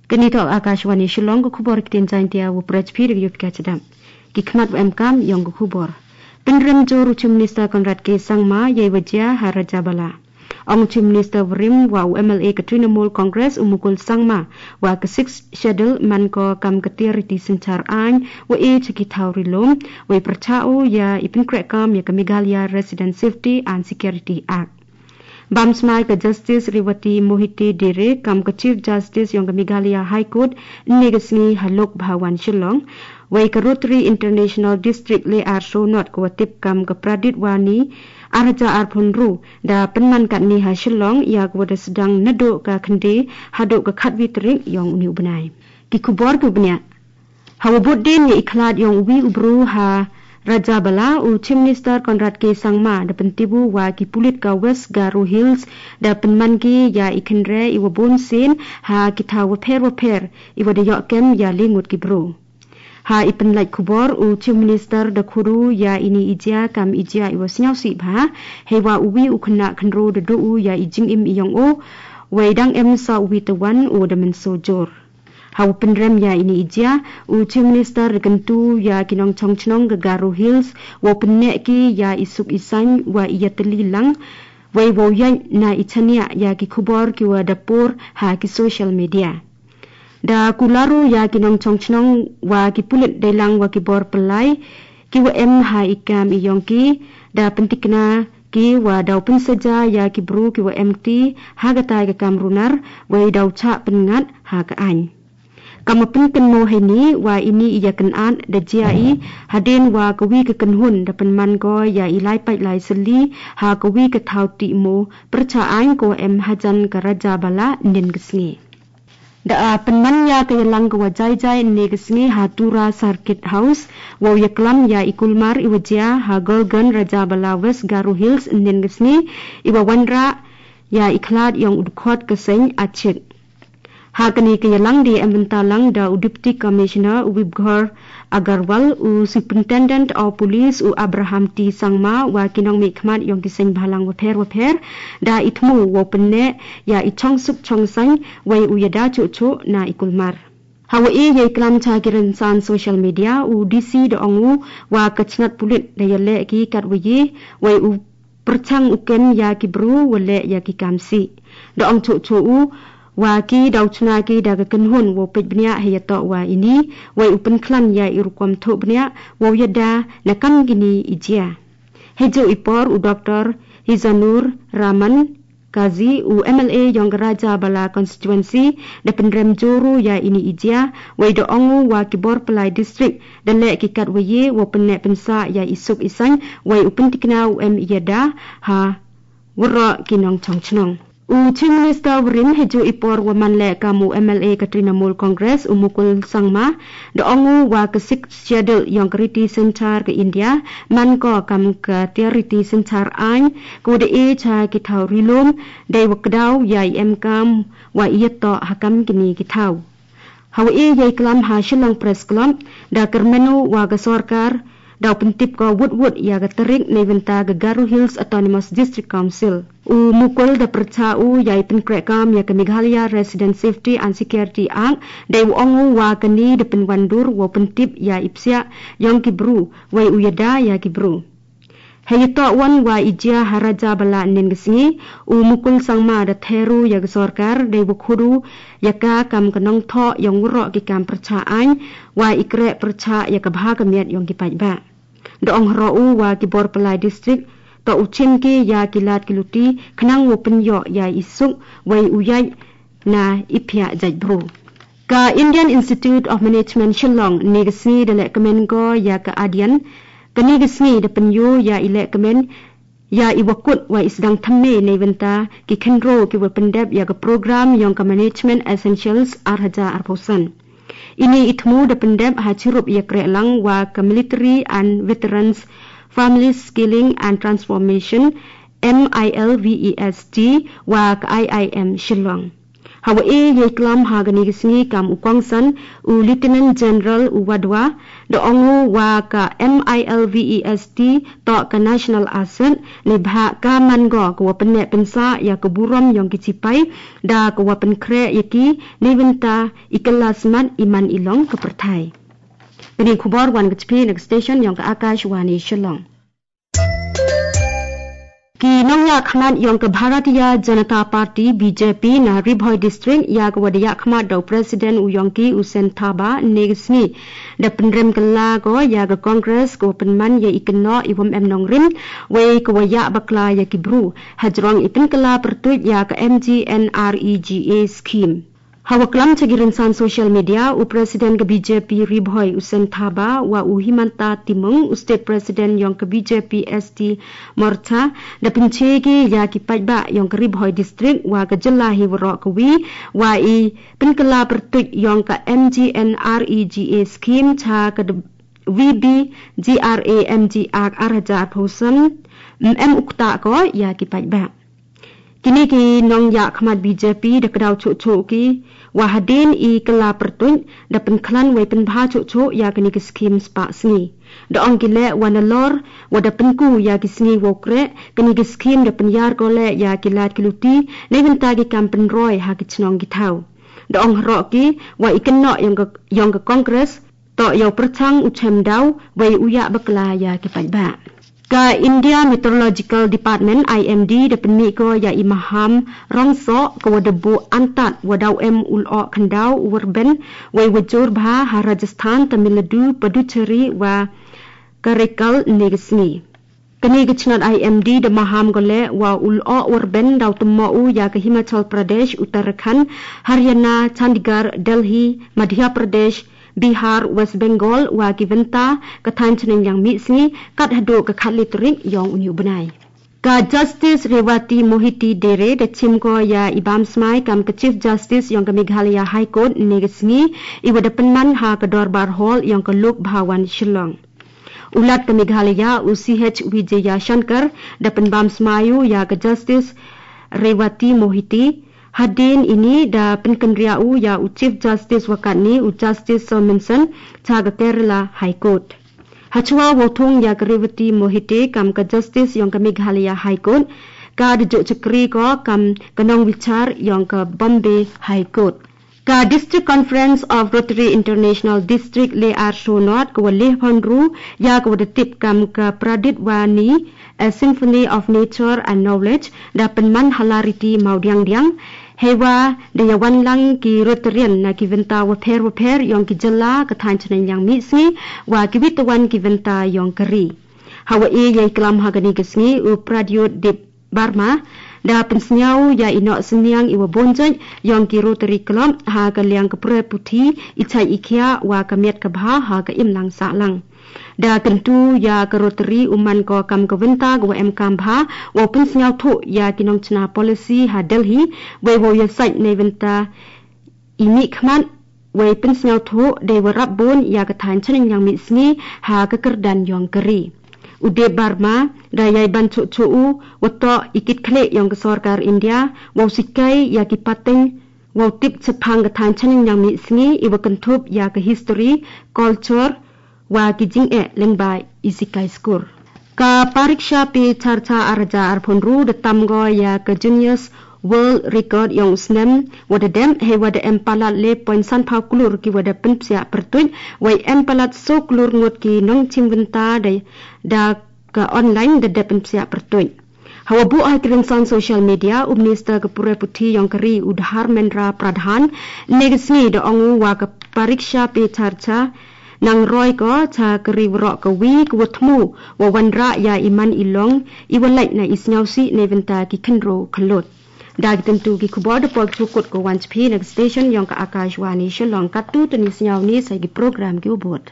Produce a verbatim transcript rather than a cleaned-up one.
Kani to Akashvani Shillong, ka khubor ktien Jaintia u prech phir yu pika chedam. Ki khmat wa emkam yong ka khubor. Pynrem jor u Chief Minister Conrad K Sangma yei wajia ha Rajabala. Ong Chief Minister Warim wa u M L A ka Trinamool Congress u Mukul Sangma wa ka Sixth Schedule man ko kam ka tiar riti synchar ain wa e chaki thau rilom wa i perchao ya i pynkrek kam ya ka Meghalaya Resident Safety and Security Act. Bam smai ka Justice Revati Mohite Dere kam ka Chief Justice yong ka Meghalaya High Court ne ka sngi ha Lok Bhawan Shillong. Wei ka Rotary International District le ar so not ka wa tip kam ka Pradit Wani ar hajar arphew hynriew da pynman katni ha Shillong ya ka wa da sdang naduh ka khyndai haduh ka khatwi tarik yong uni u bnai. Ki khubor ki u bniah. Ha wa bud din ya i khlad yong uwi u bru ha Rajabala u Chief Minister Conrad K Sangma da pyntibu wa ki pulit ka West Garo Hills da pynman ki ya i khynre i wa bun sin ha ki thaw wa pher wa pher i wa da yoh kem ya lingut ki bru. Ha i pynlait khubor u Chief Minister da khuru ya ini i jia kam i jia i wa sniaw si bha. Hei wa uwi u khynnah khynro da du u ya i jingim i yong u. Wei dang em sa uwi tawan u da mynso jor. Ha u pynrem ya ini i jia, u Chief Minister da kyntu ya ki nongchong chnong ka Garo Hills, wa u pynneh ki ya i suk i sain wa i ya tylli lang, wei wa u yaid na i chaniah ya ki khubor ki wa da por ha ki social media. Da kularo ya ki nongchong chnong wa ki pulit dailang wa ki bor pynlai, ki wa em ha i kam i yong ki, da pyntikna ki wa da u pynsaja ya ki bru ki wa em kti ha ka tai ka kam runar, wei da u chah pynngat ha ka ain. Kam wa pynkynmo hei ni wa ini i ya kynat da jia i hadien wa ka wi ka kynhun da pynman ko ya i lai pait lai sylli ha ka wi ka thaw ti mo pyrchah ain ko em hajan ka Rajabala nin ka sngi. Da a pynman ya ka yalang ka wa jai jai ne ka sngi ha Tura Circuit House, wa u ya klam ya i kulmar i wa jia ha Golgan Rajabala West Garo Hills nin ka sngi, i wa wanrah ya i khlad yong u dkhot ka seng achik. Ha kani ka yalang di em bynta lang da u Deputy Commissioner u Vibgor Agarwal, u Superintendent of Police u Abraham T Sangma, wa ki nongmihkhmat yong ki seng bhalang wa pher wa pher, da i thmu wa u pynneh ya i chongsuk chongsang, wei u ya da chuh chuh na i kulmar. Ha wa e ya i klam cha ki rynsan social media, u D C da ong u wa ka chnat pulit da ya leh ki kat wa ye, wei u pyrchang u kem ya ki bru wa leh ya ki kam si. Da ong chuh chuh u wa ki da u chna ki da ka kynhun wa u peit bniah hei ya toh wa ini, wei u pynkhlan ya i rukom thoh bniah wa u ya da na kam kini i jia. Hei ju i por u Doctor Hizanur Rahman Kazi u M L A yong ka Rajabala constituency da pynrem jor u ya ini i jia, wei da ong u wa ki bor pynlai district da leh ki kat wa ye wa pynneh pynsah ya i suk i sain, wei u pyntikna u em i ya da ha waroh ki nongchong chnong. U Chief Minister Warim hei ju i por wa man leh kam u M L A ka Trinamool Congress u Mukul Sangma da ong u wa ka Sixth Schedule yong ka riti synchar ka India man ko kam ka tiar riti synchar ain, ka wa da e cha ki thaw rilum, dei wa kdaw ya i em kam wa i ya toh ha kam kini ki thaw. Ha wa e ya i klam ha Shillong Press Club, da kyrmen u wa ka sorkar da u pyntip ko wut wut ya ka tarik nei bynta ka Garo Hills Autonomous District Council. U Mukul da pyrchah u ya i pynkrek kam ya ka Meghalaya Resident Safety and Security Act, dei wa ong u wa kani da pynwandur wa u pyntip ya i psiah yong ki bru, wei u ya da ya ki bru. Hei ya toh wan wa i jia ha Rajabala nin ka sngi, u Mukul Sangma da theru ya ka sorkar, dei wa khuru ya ka kam ka nongthoh yong waroh ki kam pyrchah ain, wa i kreh pyrchah ya ka bha ka miat yong ki paidbah. Da ong hroh u wa ki bor pynlai district toh u chim ki ya ki lad ki luti khnang wa pynyoh ya i suk, wei u yaid na i phiah jait bru. Ka Indian Institute of Management Shillong ne ka sngi da leh kmen ko ya ka adian, kani ka sngi da pynyo ya i leh kmen ya i wa kut wa i sdang thymme nei bynta ki khynro ki wa pyndep ya ka program yong ka Management Essentials ar hajar arphew san. Ini i thmu da pyndep ha chirup ya kreh lang wa ka Military and Veterans Family Skilling and Transformation, M I L V E S T, wa ka I I M Shillong. Hawa e yei klam ha gani gisngi kam u kongsan u Lieutenant General u wadwa da ongu wa ka M I L V E S T to ka National Asset ni bha ka man go ka wa penne pensa ya ka burom yong ki chipai da ka wa penkre ya ki ni benta i kelas mat i man i long ka perthai. Kani khubor wan ka chipi na ka station yong ka Akashvani Shillong. Ki nongya khmat yong ka Bharatiya Janata Party, B J P, na Ri Bhoi District ya ka wada ya khmat dau President u yong ki u Sen Thaba ne ka sngi. Da penrem ka la ko ya ka Congress ko penman ya i keno i wam em nongrim, wei ka wa ya bakla ya ki bru. Hajrong i pen ka la pertuit ya ka M G N R E G A scheme. Hawa klam chagi rinsan social media, u President ka B J P Ri Bhoi u Sen Thaba, wa u Himanta Timung, u State President yong ka B J P S T Morcha, da penchegi ya ki paitba yong ka Ri Bhoi District, wa ka jylla hi warok ka wi, wa i pen ka la pertuit yong ka M G N R E G A scheme cha ka de-, V B G R A M G Act ar hajar phosam, M M ukta ko ya ki paitba. Kini ki nongya khmat B J P da ka dau cho cho ki, wa hadin i ka la pertuit, da penkhlan wei penbha cho cho ya kani ki scheme spa sngi. Da ong ki le wa na lor, wa da penku ya ki sngi wo kre, kani ki scheme da penyar ko le ya ki lat ki luti, nei benta ki kam penroi ha ki chnong ki thau. Da ong haro ki, wa i keno yong ka, yong ka Congress, to yau perchang u chem dau, wei u ya bakla ya ki paitba. Ka India Meteorological Department, I M D, da penmi ko ya i maham rongso ko wa da bu antat wa dau em ul o khandau u warben, wei wa jur bha ha Rajasthan, Tamil Nadu, Puducherry, wa Karaikal ne ka sngi. Kani ka chnat I M D da maham gole wa ul o warben dau temmo u ya ka Himachal Pradesh, Uttarakhand, Haryana, Chandigarh, Delhi, Madhya Pradesh, Bihar, West Bengal, wa ki venta ka than chneng yang mi sngi, kat hadu ka khat litrik yong uni u bnai. Ka Justice Revati Mohite Dere da chim ko ya i bam smai kam ka Chief Justice yong ka Meghalaya High Court ne ka sngi, i wa da penman ha ka Dorbar Hall yong ka Lok Bhawan Shillong. U Lat ka Meghalaya u C H Vijayashankar da penbam smayu ya ka Justice Revati Mohite. Hadin ini da penkenria u ya u Chief Justice wakat ni u Justice Sawminson cha ka Kerala High Court. Hachwa wa thung ya ka Revati Mohite kam ka Justice yong ka Meghalaya High Court, ka da jo chakri ko kam ka nong wichar yong ka Bombay High Court. Ka District Conference of Rotary International District le ar shonot ka wa leh phonru ya ka wa da tip kam ka Pradit Wani, A Symphony of Nature and Knowledge, da penman hala riti mau diang diang. Hewa da ya wan lang ki Rotarian na ki venta wa pher wa pher yong ki jylla ka than chneng yang mi sngi wa ki wit wan ki venta yong ka ri. Hawa e yei klam ha gani ka sngi u Pradyot Dip Barma, da pensniau ya i noh sniang i wa bonjot yong ki Rotary Club ha ka liang ka pura puthi i chai i khia wa ka miat ka bha ha ka imlang sahlang. Da kentu ya ka Rotary u man ko kam ka venta ka wa em kam bha, wa pensniau tho ya ki nong chna policy ha Delhi, wei wa ya sait nei venta i mi khmat, wei pensniau tho dei wa rap bon ya ka than chneng yang mi sngi ha ka kerdan yong ka ri. U Dip Barma, da yai ban cho cho u, wa to i kit khle yong ka sorkar India, wa u sikai ya ki pateng, wa u tip chapang ka than chneng yang mi sngi, i wa kenthup ya ka history, culture, wa ki jing e lengba i sikai skur. Ka Pariksha Pe Charcha ar hajar ar phonru da tam go ya ka Guinness World Record yong u snem wa da dem, hewa da em palat le point san phaw klur ki wa da penpsia pertuit, wei em palat so klur ngut ki nong chim venta da, da ka online da da penpsia pertuit. Hawa bu ha ki rinsan social media, u Minister ka pura puthi yong ka ri u Dharmendra Pradhan, ne ka sngi da ongu wa ka Pariksha Pe Charcha nang roi ko cha ka ri warok ka wi ka wa thmu wa wan ra ya i man i long, i wa lait na i sniau si nei venta ki khenro khalut. Da ki tentu ki khubor da poi chukut ko wan chphi na ka station yong ka Akashvani Shillong. Katu tuni sniau ni sai ki program ki u bot.